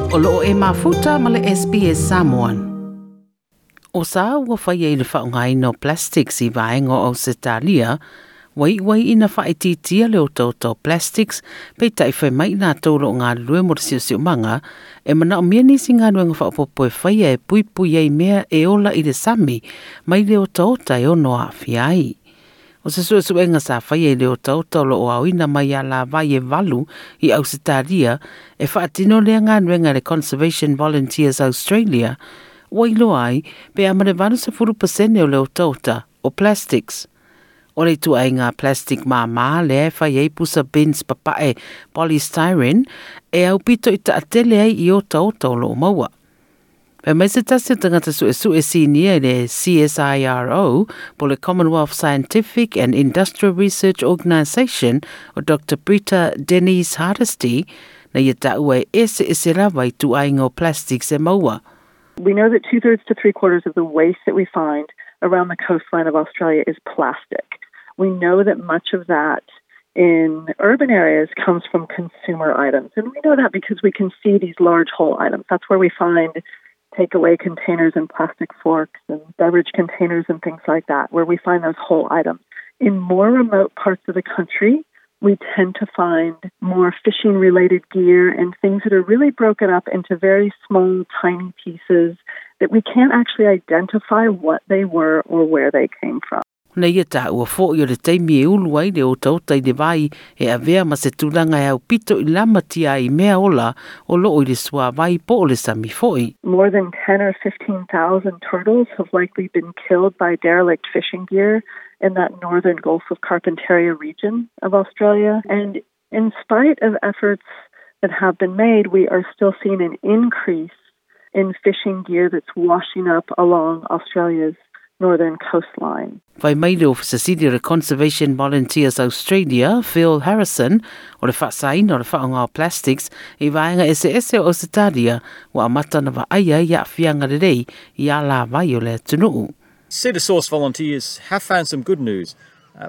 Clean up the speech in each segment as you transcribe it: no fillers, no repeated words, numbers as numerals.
O loo e mafuta ma le SBS Samoan. O sa ua whaia i le whaongaina o plastics i vaenga o Ausetalia, wai wai ina whaititia le otaota o plastics, pe tai whai mai nā tōlo o ngā lue mo te siosiomaga, e mana o mea nisi ngā nuenga whaopopo e whaia e pui pui ai mea e ola i le sami, mai le otaota e ono aafia ai. O se suesuega sa faia i le otaota o loo aoina mai alavai e 8 i Ausetalia e faatino lea galuega e le Conservation Volunteers Australia, ua iloa ai pe a ma le 80% o le otaota o plastics. O le ituaiga plastic māmā lea e fai ai pusa bins papae polystyrene e aupito i taatele ai i otaota o loo maua. Fai mai se tasi o tagata suesue sinia i le CSIRO po le Commonwealth Scientific and Industrial Research Organisation o Dr Brita Denise Hardesty, na ia taua e eseese lava ituaiga o plastics e maua. We know that two-thirds to three-quarters of the waste that we find around the coastline of Australia is plastic. We know that much of that in urban areas comes from consumer items. And we know that because we can see these large whole items. That's where we find takeaway containers and plastic forks and beverage containers and things like that, where we find those whole items. In more remote parts of the country, we tend to find more fishing-related gear and things that are really broken up into very small, tiny pieces that we can't actually identify what they were or where they came from. Na ia taua fo'i o le taimi e ulu ai le otaota i le vai e avea ma se tulaga e aupito i lamatia ai i mea ola o loo i le suavai po o le sami fo'i. More than 10 or 15,000 turtles have likely been killed by derelict fishing gear in that northern Gulf of Carpentaria region of Australia. And in spite of efforts that have been made, we are still seeing an increase in fishing gear that's washing up along Australia's northern coastline. Fai mai le Ofisa Sili o le Conservation Volunteers Australia, Phil Harrison, o le faasaina o le faaaoga o plastics i vaega eseese o Ausetalia ua amata ona vaaia ai aafiaga lelei i alavai o le atunuu. Sea to Source volunteers have found some good news.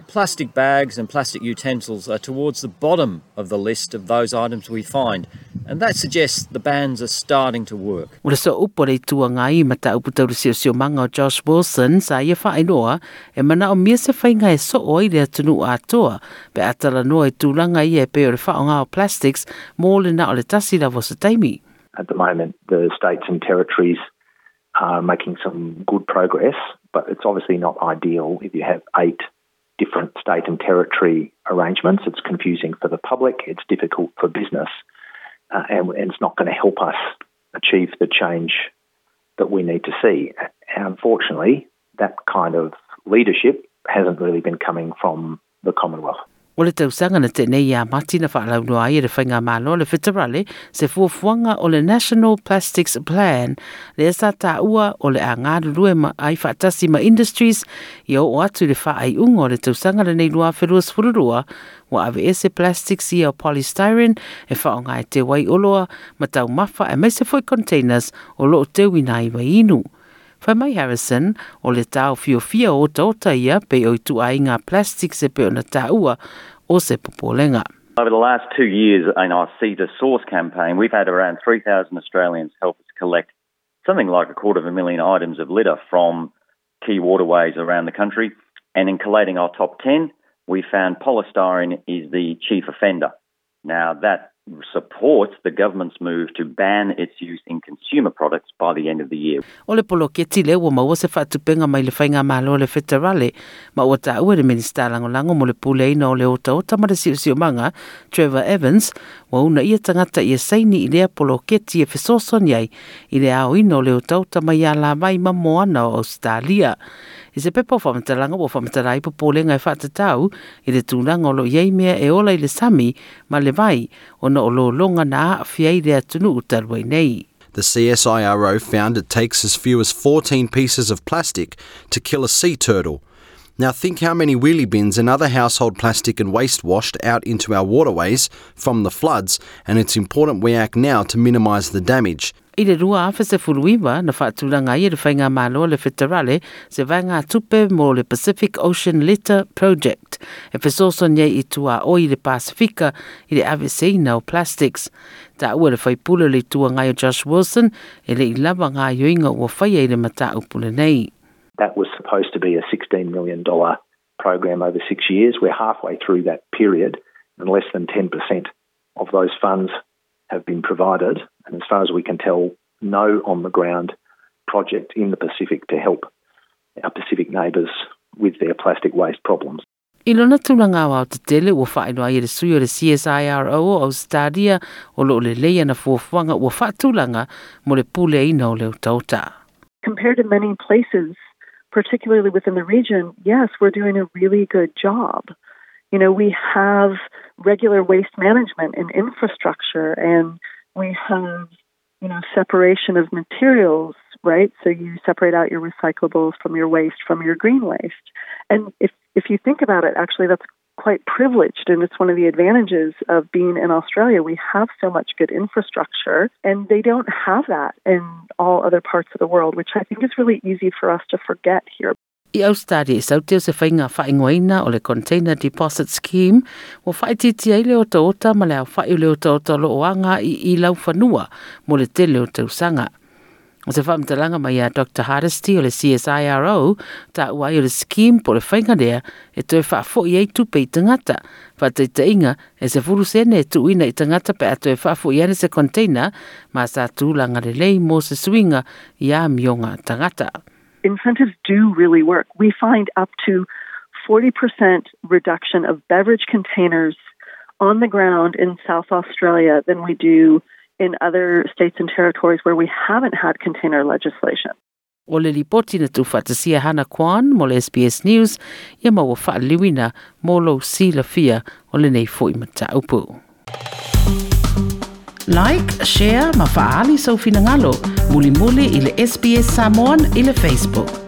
Plastic bags and plastic utensils are towards the bottom of the list of those items we find, and that suggests the bans are starting to work. O le sooupu a le Itu Agai ma mataupu tau le siosiomaga o Josh Wilson sa ia faailoa e manaomia se faiga e soo ai le atunuu atoa pe a talanoa i tulaga ia e pei o le faaaoga o plastics mo le na o le tasi lava o se taimi. At the moment, the states and territories are making some good progress, but it's obviously not ideal if you have 8 different state and territory arrangements. It's confusing for the public, it's difficult for business, and it's not going to help us achieve the change that we need to see. And unfortunately, that kind of leadership hasn't really been coming from the Commonwealth. O le tausaga na tenei ia Mati na faalauiloa ai e le Faigamalo le Feterale se fuafuaga o le National Plastics Plan lea sa taua o le a galulue ma ai faatasi ma industries ia oo atu i le faaiuga o le tausaga lenei 2022 ua aveese plastics ia o polystyrene e faaaoga e teu ai oloa ma taumafa aemaise foi containers o loo teuina ai vaiinu. Fai mai Harrison, o le taofiofia o otaota ia pei o ituaiga plastics e pei ona taua o se popolega. Over the last 2 years in our Sea to Source campaign, we've had around 3,000 Australians help us collect something like 250,000 items of litter from key waterways around the country. And in collating our top 10, we found polystyrene is the chief offender. Now, that supports the government's move to ban its use in consumer products by the end of the year. O le poloketi lea ua maua se faatupenga mai le Faigamalo a le Feterale, ma ua taua e le Minisita Lagolago mo le Puleaina o le Otaota ma le Siosiomaga, Trevor Evans, ua uunaia tagata ia saini i lea poloketi e fesoasoani ai i le aoina o le otaota mai alavai ma moana o Ausetalia. I se pepa o faamatalaga ua faamatala ai popolega e faatatau i le tulaga o lo o i ai mea e ola i le sami ma le vai ona o lologa na aafia ai le atunuu talu ai nei. The CSIRO found it takes as few as 14 pieces of plastic to kill a sea turtle. Now think how many wheelie bins and other household plastic and waste washed out into our waterways from the floods, and it's important we act now to minimise the damage. I le 2019, na faatulaga ai e le Faigamalo a le Feterale se vaegatupe mo le Pacific Ocean Litter Project e fesoasoani ai i tuaoi i le Pasifika i le aveeseina o plastics. Taua e le faipule o le Itu Agai o Josh Wilson e le i lava gaoioiga ua faia i le mataupu lenei. That was supposed to be a $16 million program over 6 years. We're halfway through that period and less than 10% of those funds have been provided. And as far as we can tell, no on-the-ground project in the Pacific to help our Pacific neighbours with their plastic waste problems. I lona tulaga aoaotetele ua faailoa ai e le sui o le CSIRO o Ausetalia o lo o lelei ana fuafuaga ua faatulaga mo le puleaina o le otaota. Compared to many places, particularly within the region, yes, we're doing a really good job. You know, we have regular waste management and infrastructure, and we have, you know, separation of materials, right? So you separate out your recyclables from your waste, from your green waste. And if you think about it, actually, that's quite privileged, and it's one of the advantages of being in Australia. We have so much good infrastructure, and they don't have that in all other parts of the world, which I think is really easy for us to forget here. I Ausetalia e sautia o se faiga faaigoaina o le Container Deposit Scheme ua faaitiitia ai le otaota ma le aofa'i o le otaota o lo o aga'i i laufanua mo le tele o tausaga. O se faamatalaga mai ia Doctor Hardesty o le CSIRO, taua ai o le scheme po o le faiga lea e toe faafo'i ai tupe i tagata. Faataitaiga, e 10 sene e tuuina i tagata pe a toe faafo'i ane se container ma sa tulaga lelei mo se suiga i amioga tagata. Incentives do really work. We find up to 40% reduction of beverage containers on the ground in South Australia than we do in other states and territories where we haven't had container legislation. O le lipoti na tuufaatasia Hana Kwan mo le SBS News ia ma ua faaliliuina mo lou silafia o lenei foi mataupu. Like, share ma faaali sou finagalo. Mulimuli i le SBS Samoan i le Facebook.